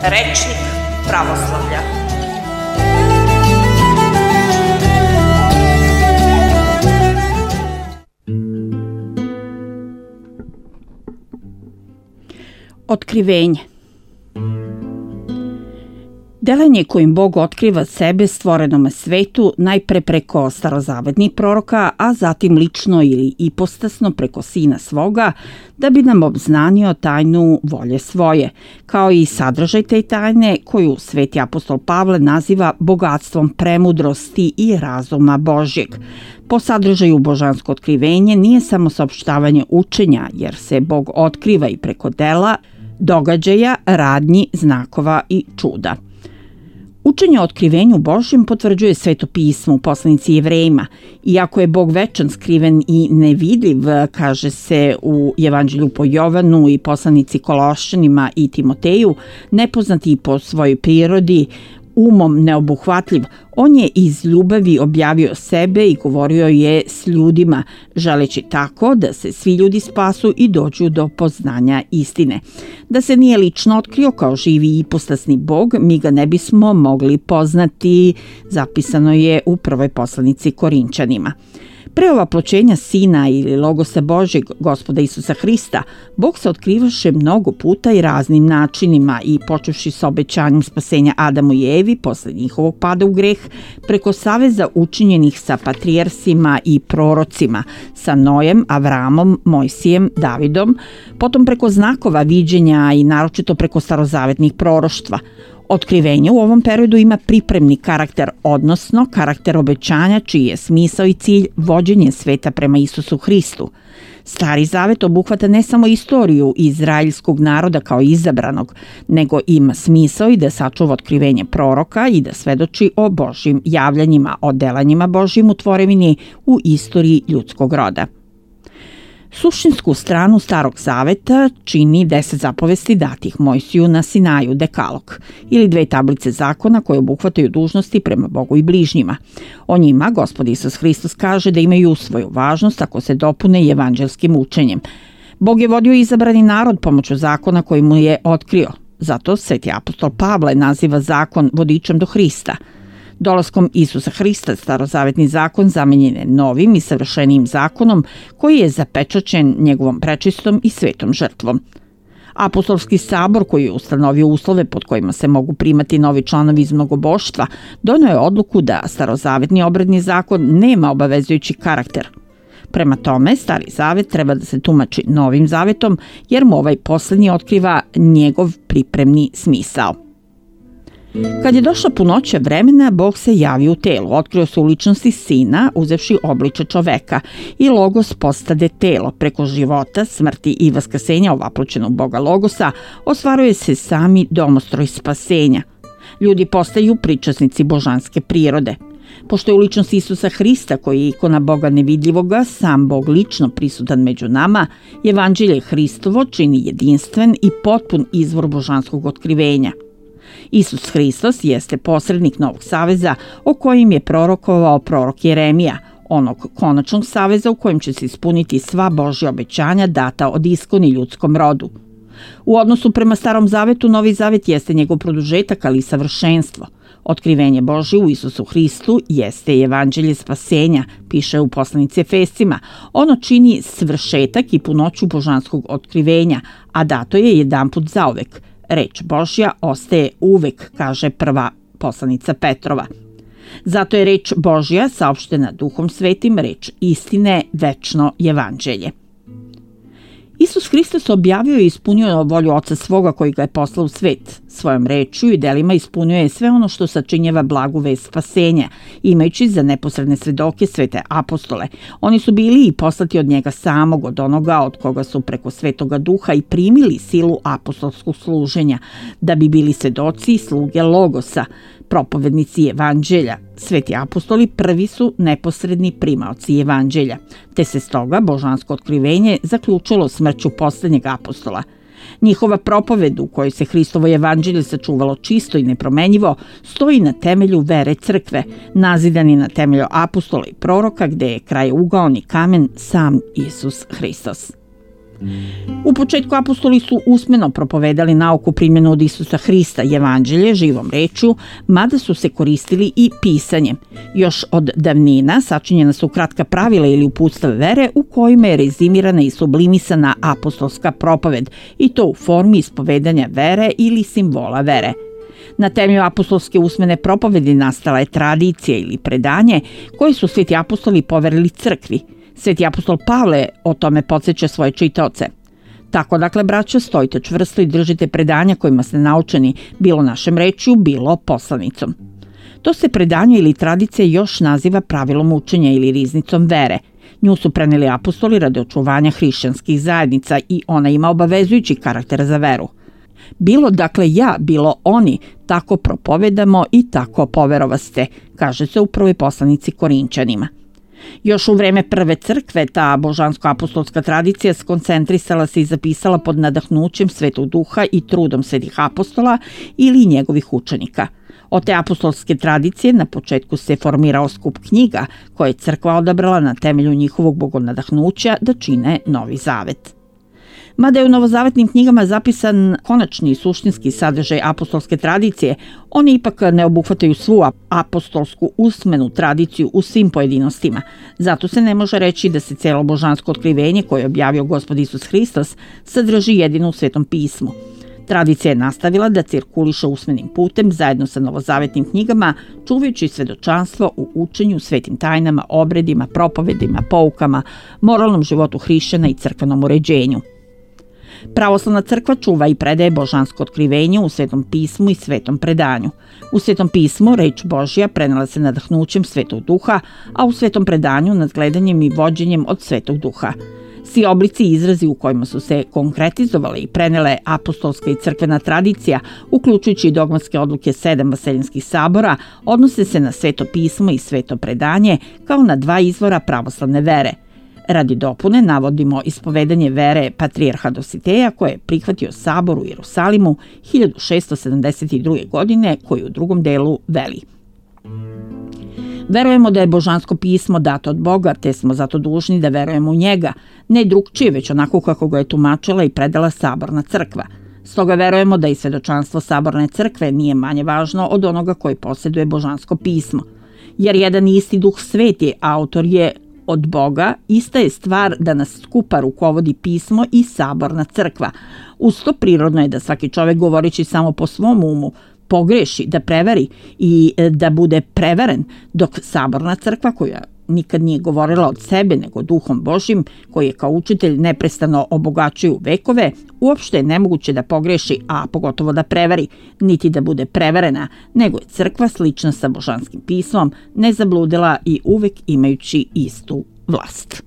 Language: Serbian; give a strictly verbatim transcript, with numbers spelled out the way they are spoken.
Rečnik pravoslavlja. Otkrivenje. Delanje kojim Bog otkriva sebe stvorenome svetu najpre preko starozavetnih proroka, a zatim lično ili ipostasno preko Sina svoga, da bi nam obznanio tajnu volje svoje, kao i sadržaj te tajne koju sveti apostol Pavle naziva bogatstvom premudrosti i razuma Božjeg. Po sadržaju božansko otkrivenje nije samo saopštavanje učenja, jer se Bog otkriva i preko dela, događaja, radnji, znakova i čuda. Učenje o otkrivenju Božjem potvrđuje Sveto pismo u poslanici Jevrejima. Iako je Bog večan, skriven i nevidljiv, kaže se u Evanđelju po Jovanu i poslanici Kološćanima i Timoteju, nepoznati po svojoj prirodi, umom neobuhvatljiv, on je iz ljubavi objavio sebe i govorio je s ljudima, želeći tako da se svi ljudi spasu i dođu do poznanja istine. Da se nije lično otkrio kao živi i ipostasni Bog, mi ga ne bismo mogli poznati, zapisano je u prvoj poslanici Korinčanima. Pre ovaploćenja Sina ili Logosa Božjeg, Gospoda Isusa Hrista, Bog se otkrivaše mnogo puta i raznim načinima i počevši sa obećanjem spasenja Adamu i Evi posle njihovog pada u greh, preko saveza učinjenih sa patrijarsima i prorocima, sa Nojem, Avramom, Mojsijem, Davidom, potom preko znakova viđenja i naročito preko starozavetnih proroštva. Otkrivenje u ovom periodu ima pripremni karakter, odnosno karakter obećanja čiji je smisao i cilj vođenje sveta prema Isusu Hristu. Stari zavet obuhvata ne samo istoriju izraelskog naroda kao izabranog, nego ima smisao i da sačuva otkrivenje proroka i da svedoči o Božjim javljanjima, o delanjima Božjim u tvorevini u istoriji ljudskog roda. Suštinsku stranu Starog zaveta čini deset zapovesti datih Mojsiju na Sinaju, dekalog, ili dve tablice zakona koje obuhvataju dužnosti prema Bogu i bližnjima. O njima Gospod Isus Hristos kaže da imaju svoju važnost ako se dopune i evanđelskim učenjem. Bog je vodio izabrani narod pomoću zakona koji mu je otkrio. Zato sveti apostol Pavle naziva zakon vodičem do Hrista. Dolaskom Isusa Hrista starozavetni zakon zamenjen je novim i savršenijim zakonom koji je zapečaćen njegovom prečistom i svetom žrtvom. Apostolski sabor koji je ustanovio uslove pod kojima se mogu primati novi članovi iz mnogoboštva, donio je odluku da starozavetni obredni zakon nema obavezujući karakter. Prema tome, Stari zavet treba da se tumači novim zavetom jer mu ovaj poslednji otkriva njegov pripremni smisao. Kad je došla punoća vremena, Bog se javio u telu, otkrio se u ličnosti Sina, uzevši obliče čoveka, i Logos postade telo. Preko života, smrti i vaskrsenja ovaploćenog Boga Logosa ostvaruje se sami domostroj spasenja. Ljudi postaju pričasnici božanske prirode. Pošto je u ličnosti Isusa Hrista, koji je ikona Boga nevidljivoga, sam Bog lično prisutan među nama, Evanđelje Hristovo čini jedinstven i potpun izvor božanskog otkrivenja. Isus Hristos jeste posrednik Novog saveza o kojim je prorokovao prorok Jeremija, onog konačnog saveza u kojem će se ispuniti sva Božja obećanja data od iskoni ljudskom rodu. U odnosu prema Starom zavetu, Novi zavet jeste njegov produžetak, ali i savršenstvo. Otkrivenje Božje u Isusu Hristu jeste evanđelje spasenja, piše u poslanici Efescima. Ono čini svršetak i punoću božanskog otkrivenja, a dato je jedanput zauvek. Reč Božja ostaje uvek, kaže prva poslanica Petrova. Zato je reč Božja saopštena Duhom Svetim, reč istine, večno evanđelje. Isus Hristos objavio i ispunio volju Oca svoga koji ga je poslao u svet. Svojom rečju i delima ispunio je sve ono što sačinjava blagu vest spasenja, imajući za neposredne svedoke svete apostole. Oni su bili i poslati od njega samog, od onoga od koga su preko Svetoga Duha i primili silu apostolskog služenja, da bi bili svedoci i sluge Logosa, propovednici evanđelja. Sveti apostoli prvi su neposredni primaoci evanđelja, te se stoga božansko otkrivenje zaključilo smrću poslednjeg apostola. Njihova propoved u kojoj se Hristovo evanđelje sačuvalo čisto i nepromenjivo stoji na temelju vere crkve, nazidani na temelju apostola i proroka, gde je krajeugao i kamen sam Isus Hristos. U početku apostoli su usmeno propovedali nauku primjenu od Isusa Hrista, evanđelje, živom rečju, mada su se koristili i pisanjem. Još od davnina sačinjena su kratka pravila ili uputstva vere u kojima je rezimirana i sublimisana apostolska propoved, i to u formi ispovedanja vere ili simbola vere. Na temelju apostolske usmene propovedi nastala je tradicija ili predanje koje su sveti apostoli poverili crkvi. Sveti apostol Pavle o tome podsjeća svoje čitaoce. Tako, dakle, braća, stojite čvrsto i držite predanja kojima ste naučeni, bilo našem rečju, bilo poslanicom. To se predanje ili tradicija još naziva pravilom učenja ili riznicom vere. Nju su preneli apostoli radi očuvanja hrišćanskih zajednica i ona ima obavezujući karakter za veru. Bilo, dakle, ja, bilo oni, tako propovedamo i tako poverovaste, kaže se u prvoj poslanici Korinčanima. Još u vreme prve crkve ta božansko-apostolska tradicija skoncentrisala se i zapisala pod nadahnućem Svetog Duha i trudom svetih apostola ili njegovih učenika. Od te apostolske tradicije na početku se formirao skup knjiga koje je crkva odabrala na temelju njihovog bogonadahnuća da čine Novi Zavet. Mada je u novozavetnim knjigama zapisan konačni i suštinski sadržaj apostolske tradicije, oni ipak ne obuhvataju svu apostolsku usmenu tradiciju u svim pojedinostima. Zato se ne može reći da se cijelo božansko otkrivenje koje je objavio Gospod Isus Hristos sadrži jedino u Svetom pismu. Tradicija je nastavila da cirkuliše usmenim putem zajedno sa novozavetnim knjigama, čuvajući svedočanstvo u učenju, svetim tajnama, obredima, propovedima, poukama, moralnom životu hrišćana i crkvenom uređenju. Pravoslavna crkva čuva i predaje božansko otkrivenje u Svetom pismu i Svetom predanju. U Svetom pismu reč Božja prenela se nadahnućem Svetog Duha, a u Svetom predanju nadgledanjem i vođenjem od Svetog Duha. Svi oblici i izrazi u kojima su se konkretizovale i prenele apostolska i crkvena tradicija, uključujući i dogmatske odluke sedam vaseljenskih sabora, odnose se na Sveto pismo i Sveto predanje kao na dva izvora pravoslavne vere. Radi dopune navodimo ispovedanje vere patrijarha Dositeja koje je prihvatio sabor u Jerusalimu hiljadu šeststo sedamdeset druge. godine, koji u drugom delu veli: Verujemo da je božansko pismo dato od Boga, te smo zato dužni da verujemo u njega, ne drugčije, već onako kako ga je tumačila i predala saborna crkva. Stoga verujemo da i svedočanstvo saborne crkve nije manje važno od onoga koji posjeduje božansko pismo. Jer jedan isti Duh Sveti, autor je od Boga, ista je stvar da nas skupa rukovodi pismo i saborna crkva. Uz to prirodno je da svaki čovjek, govoreći samo po svom umu, pogreši, da prevari i da bude prevaren, dok saborna crkva, koja nikad nije govorila od sebe nego Duhom Božjim, koji je kao učitelj neprestano obogaćuje u vekove, uopšte je nemoguće da pogreši, a pogotovo da prevari, niti da bude prevarena, nego je crkva slična sa božanskim pismom, nezabludela i uvek imajući istu vlast.